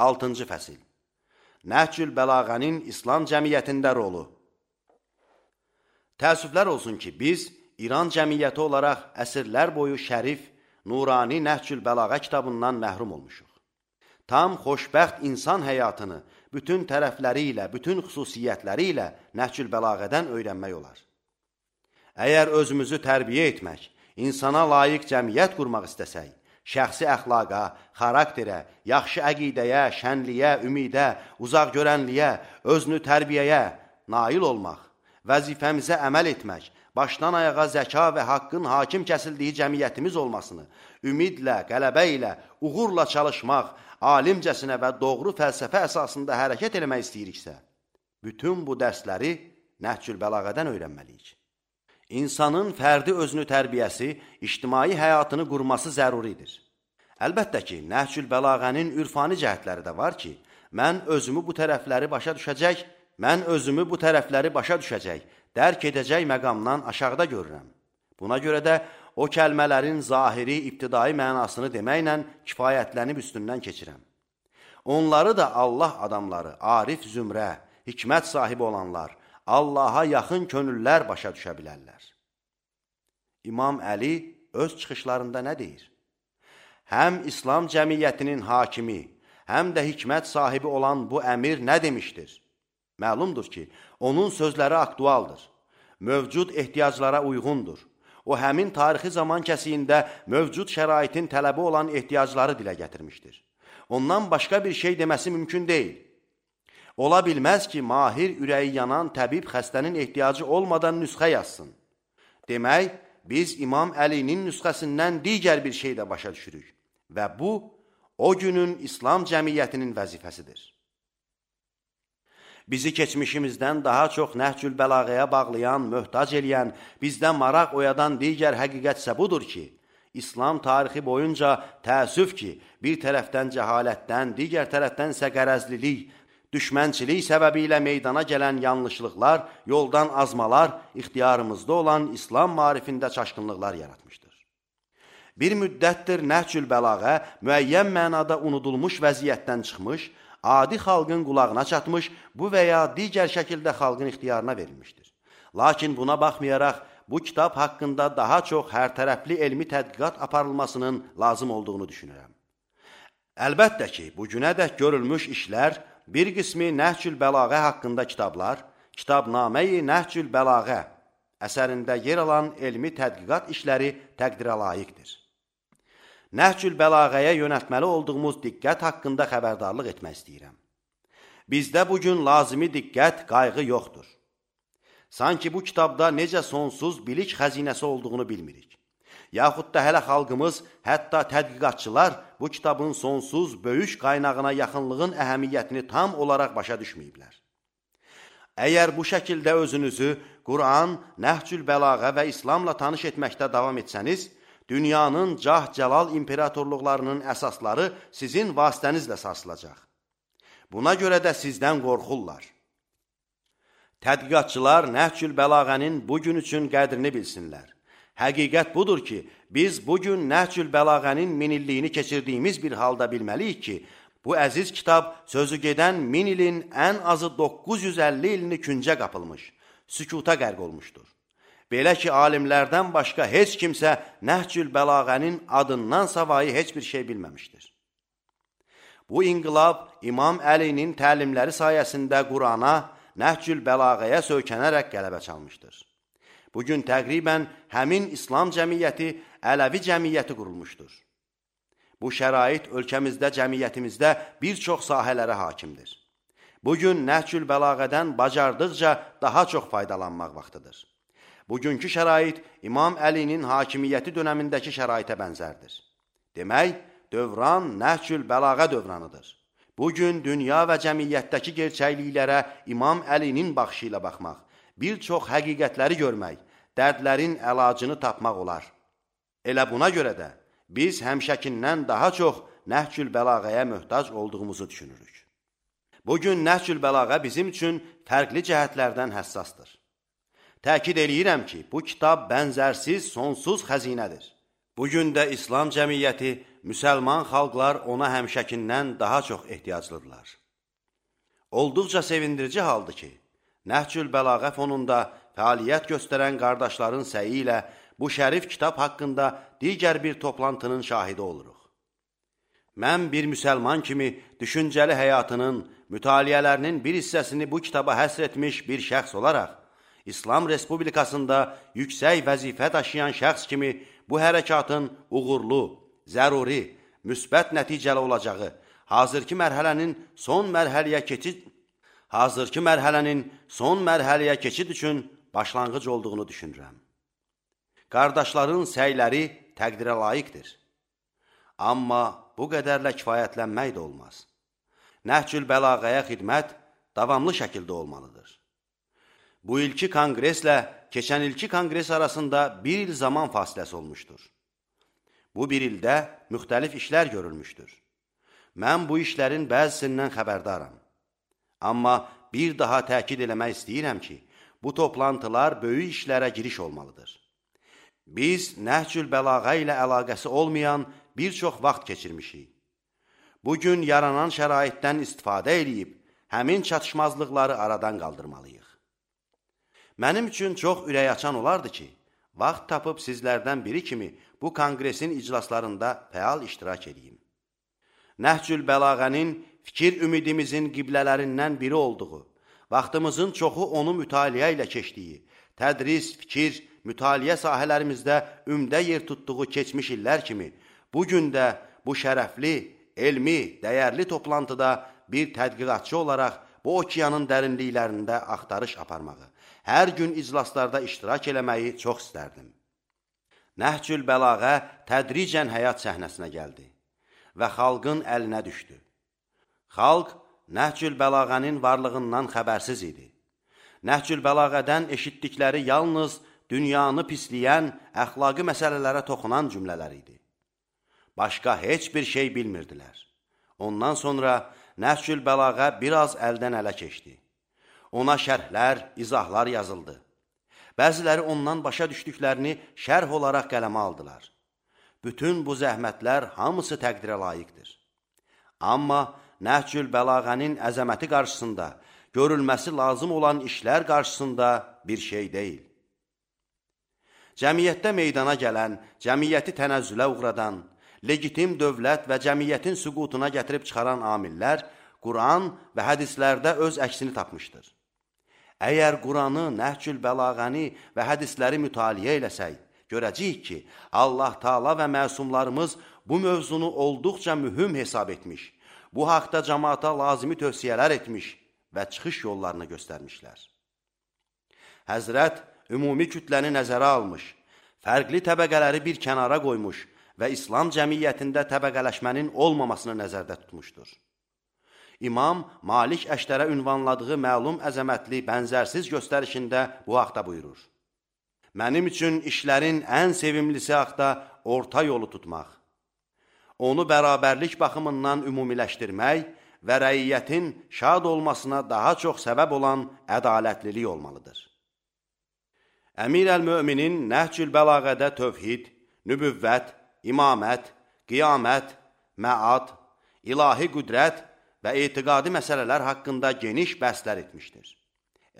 6-cı fəsil. Nəhcül Bəlağənin İslam cəmiyyətində rolu. Təəssüflər olsun ki, biz İran cəmiyyəti olaraq əsrlər boyu şərif, nurani Nəhcül Bəlağə kitabından məhrum olmuşuq. Tam xoşbəxt insan həyatını bütün tərəfləri ilə, bütün xüsusiyyətləri ilə Nəhcül Bəlağədən öyrənmək olar. Əgər özümüzü tərbiyə etmək, insana layiq cəmiyyət qurmaq istəsək, şəxsi əxlaqa, xarakterə, yaxşı əqidəyə, şənliyə, ümidə, uzaq görənliyə, özünü tərbiyəyə nail olmaq, vəzifəmizə əməl etmək, başdan ayağa zəka və haqqın hakim kəsildiyi cəmiyyətimiz olmasını, ümidlə, qələbə ilə, uğurla çalışmaq, alimcəsinə və doğru fəlsəfə əsasında hərəkət eləmək istəyiriksə, bütün bu dərsləri Nəhcül Bəlağədən öyrənməliyik. İnsanın fərdi özünü tərbiyəsi, ictimai həyatını qurması zəruridir. Əlbəttə ki, Nəhcül Bəlağənin ürfani cəhətləri də var ki, mən özümü bu tərəfləri başa düşəcək, dərk edəcək məqamdan aşağıda görürəm. Buna görə də o kəlmələrin zahiri, ibtidai mənasını deməklə kifayətlənib üstündən keçirəm. Onları da Allah adamları, arif zümrə, hikmət sahibi olanlar, Allaha yaxın könüllər başa düşə bilərlər. İmam Əli öz çıxışlarında nə deyir? Həm İslam cəmiyyətinin hakimi, həm də hikmət sahibi olan bu əmir nə demişdir? Məlumdur ki, onun sözləri aktualdır, mövcud ehtiyaclara uyğundur. O, həmin tarixi zaman kəsiyində mövcud şəraitin tələbi olan ehtiyacları dilə gətirmişdir. Ondan başqa bir şey deməsi mümkün deyil. Ola bilməz ki, mahir ürəyi yanan təbib xəstənin ehtiyacı olmadan nüsxə yazsın. Demək, biz İmam Əlinin nüsxəsindən digər bir şey də başa düşürük və bu, o günün İslam cəmiyyətinin vəzifəsidir. Bizi keçmişimizdən daha çox Nəhcül Bəlağəyə bağlayan, möhtac eləyən, bizdən maraq oyadan digər həqiqətsə budur ki, İslam tarixi boyunca təəssüf ki, bir tərəfdən cəhalətdən, digər tərəfdən isə qərəzlilik, düşmənçilik səbəbi ilə meydana gələn yanlışlıqlar, yoldan azmalar, ixtiyarımızda olan İslam marifində çaşqınlıqlar yaratmışdır. Bir müddətdir Nəhcül Bəlağə müəyyən mənada unudulmuş vəziyyətdən çıxmış, adi xalqın qulağına çatmış, bu və ya digər şəkildə xalqın ixtiyarına verilmişdir. Lakin buna baxmayaraq, bu kitab haqqında daha çox hərtərəfli elmi tədqiqat aparılmasının lazım olduğunu düşünürəm. Əlbəttə ki, bugünədək görülmüş işlər, bir qismi Nəhcül Bəlağə haqqında kitablar, Kitabnamə-i Nəhcül Bəlağə əsərində yer alan elmi tədqiqat işləri təqdirə layiqdir. Nəhcül Bəlağəyə yönəltməli olduğumuz diqqət haqqında xəbərdarlıq etmək istəyirəm. Bizdə bugün lazımi diqqət, qayğı yoxdur. Sanki bu kitabda necə sonsuz bilik xəzinəsi olduğunu bilmirik. Yaxud da hələ xalqımız, hətta tədqiqatçılar bu kitabın sonsuz, böyük qaynağına yaxınlığın əhəmiyyətini tam olaraq başa düşməyiblər. Əgər bu şəkildə özünüzü Quran, Nəhcül Bəlağə və İslamla tanış etməkdə davam etsəniz, dünyanın cah-cəlal imperatorluqlarının əsasları sizin vasitənizlə sarsılacaq. Buna görə də sizdən qorxurlar. Tədqiqatçılar Nəhcül Bəlağənin bugün üçün qədrini bilsinlər. Həqiqət budur ki, biz bugün Nəhcül Bəlağənin minilliyini keçirdiyimiz bir halda bilməliyik ki, bu əziz kitab sözü gedən 1000 ilin ən azı 950 ilini küncə qapılmış, sükuta qərq olmuşdur. Belə ki, alimlərdən başqa heç kimsə Nəhcül Bəlağənin adından savayı heç bir şey bilməmişdir. Bu inqilab İmam Əlinin təlimləri sayəsində Qurana, Nəhcül Bəlağəyə söykənərək qələbə çalmışdır. Bugün təqribən həmin İslam cəmiyyəti, Ələvi cəmiyyəti qurulmuşdur. Bu şərait ölkəmizdə, cəmiyyətimizdə bir çox sahələrə hakimdir. Bugün Nəhcül Bəlağədən bacardıqca daha çox faydalanmaq vaxtıdır. Bugünkü şərait İmam Əlinin hakimiyyəti dönəmindəki şəraitə bənzərdir. Demək, dövran Nəhcül Bəlağə dövranıdır. Bugün dünya və cəmiyyətdəki gerçəkliklərə İmam Əlinin baxışı ilə baxmaq, bir çox həqiqətləri görmək, dərdlərin əlacını tapmaq olar. Elə buna görə də biz həmişəkindən daha çox Nəhcül Bəlağəyə möhtac olduğumuzu düşünürük. Bugün Nəhcül Bəlağə bizim üçün fərqli cəhətlərdən həssasdır. Təkid eləyirəm ki, bu kitab bənzərsiz, sonsuz xəzinədir. Bugün də İslam cəmiyyəti müsəlman xalqlar ona həmişəkindən daha çox ehtiyaclıdırlar. Olduqca sevindirici haldır ki, Nəhcül Bəlağə fonunda fəaliyyət göstərən qardaşların səyi ilə bu şərif kitab haqqında digər bir toplantının şahidi oluruq. Mən bir müsəlman kimi düşüncəli həyatının, mütaliələrinin bir hissəsini bu kitaba həsr etmiş bir şəxs olaraq, İslam Respublikasında yüksək vəzifə daşıyan şəxs kimi bu hərəkatın uğurlu, zəruri, müsbət nəticəli olacağı, hazırki mərhələnin son mərhələyə keçid üçün başlanğıc olduğunu düşünürəm. Qardaşların səyləri təqdirə layiqdir. Amma bu qədərlə kifayətlənmək də olmaz. Nəhcül Bəlağəyə xidmət davamlı şəkildə olmalıdır. Bu ilki kongreslə keçən ilki kongres arasında bir il zaman fasiləsi olmuşdur. Bu bir ildə müxtəlif işlər görülmüşdür. Mən bu işlərin bəzisindən xəbərdaram. Amma bir daha təkid eləmək istəyirəm ki, bu toplantılar böyük işlərə giriş olmalıdır. Biz Nəhcül Bəlağə ilə əlaqəsi olmayan bir çox vaxt keçirmişik. Bugün yaranan şəraitdən istifadə edib, həmin çatışmazlıqları aradan qaldırmalıyıq. Mənim üçün çox ürəkaçan olardı ki, vaxt tapıb sizlərdən biri kimi bu kongresin iclaslarında fəal iştirak edeyim. Nəhcül Bəlağənin fikir ümidimizin qiblələrindən biri olduğu, vaxtımızın çoxu onu mütaliə ilə keçdiyi, tədris, fikir, mütaliə sahələrimizdə ümdə yer tutduğu keçmiş illər kimi, bugün də bu şərəfli, elmi, dəyərli toplantıda bir tədqiqatçı olaraq bu okeanın dərinliklərində axtarış aparmağı, hər gün iclaslarda iştirak eləməyi çox istərdim. Nəhcül Bəlağə tədricən həyat səhnəsinə gəldi və xalqın əlinə düşdü. Xalq Nəhcül Bəlağənin varlığından xəbərsiz idi. Nəhcül Bəlağədən eşitdikləri yalnız dünyanı pisləyən, əxlaqi məsələlərə toxunan cümlələr idi. Başqa heç bir şey bilmirdilər. Ondan sonra Nəhcül Bəlağə biraz əldən ələ keçdi. Ona şərhlər, izahlar yazıldı. Bəziləri ondan başa düşdüklərini şərh olaraq qələmə aldılar. Bütün bu zəhmətlər hamısı təqdirə layiqdir. Amma Nəhcül Bəlağənin əzəməti qarşısında, görülməsi lazım olan işlər qarşısında bir şey deyil. Cəmiyyətdə meydana gələn, cəmiyyəti tənəzzülə uğradan, legitim dövlət və cəmiyyətin süqutuna gətirib çıxaran amillər Quran və hədislərdə öz əksini tapmışdır. Əgər Quranı, Nəhcül Bəlağəni və hədisləri mütaliə eləsək, görəcəyik ki, Allah Taala və məsumlarımız bu mövzunu olduqca mühüm hesab etmiş, bu haqda cəmaata lazımi tövsiyələr etmiş və çıxış yollarını göstərmişlər. Həzrət ümumi kütləni nəzərə almış, fərqli təbəqələri bir kənara qoymuş və İslam cəmiyyətində təbəqələşmənin olmamasını nəzərdə tutmuşdur. İmam Malik Əşdərə ünvanladığı məlum əzəmətli, bənzərsiz göstərişində bu haqda buyurur. Mənim üçün işlərin ən sevimlisi haqda orta yolu tutmaq, onu bərabərlik baxımından ümumiləşdirmək və rəiyyətin şad olmasına daha çox səbəb olan ədalətlilik olmalıdır. Əmir əl-Möminin Nəhcül Bəlağədə tövhid, nübüvvət, imamət, qiyamət, məad, ilahi qüdrət və etiqadi məsələlər haqqında geniş bəhslər etmişdir.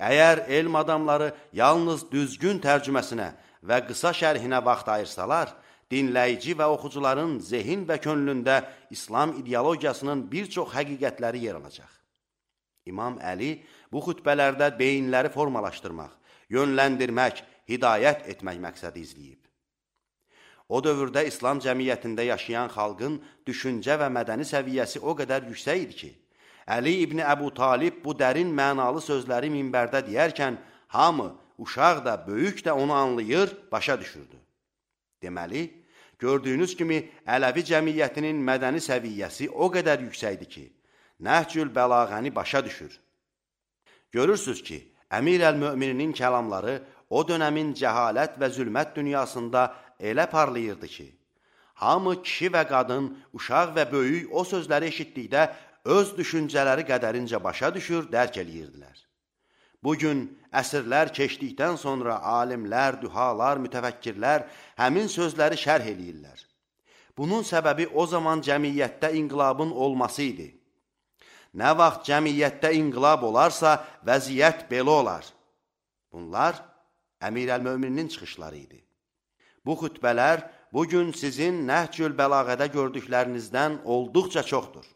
Əgər elm adamları yalnız düzgün tərcüməsinə və qısa şərhinə vaxt ayırsalar, dinləyici və oxucuların zehin və könlündə İslam ideologiyasının bir çox həqiqətləri yer alacaq. İmam Əli bu xütbələrdə beyinləri formalaşdırmaq, yönləndirmək, hidayət etmək məqsədi izləyib. O dövrdə İslam cəmiyyətində yaşayan xalqın düşüncə və mədəni səviyyəsi o qədər yüksək idi ki, Əli İbn Əbu Talib bu dərin mənalı sözləri minbərdə deyərkən, hamı, uşaq da, böyük də onu anlayır, başa düşürdü. Deməli, gördüyünüz kimi Ələvi cəmiyyətinin mədəni səviyyəsi o qədər yüksəkdir ki, Nəhcül Bəlağəni başa düşür. Görürsünüz ki, Əmir əl-Möminin kəlamları o dönəmin cəhalət və zülmət dünyasında elə parlayırdı ki, hamı kişi və qadın, uşaq və böyük o sözləri eşitdikdə öz düşüncələri qədərincə başa düşür, dərk eləyirdilər. Bugün əsrlər keçdikdən sonra alimlər, dühalar, mütəfəkkirlər həmin sözləri şərh eləyirlər. Bunun səbəbi o zaman cəmiyyətdə inqilabın olması idi. Nə vaxt cəmiyyətdə inqilab olarsa, vəziyyət belə olar. Bunlar Əmir əl-Möminin çıxışları idi. Bu xütbələr bugün sizin Nəhcül Bəlağədə gördüklərinizdən olduqca çoxdur.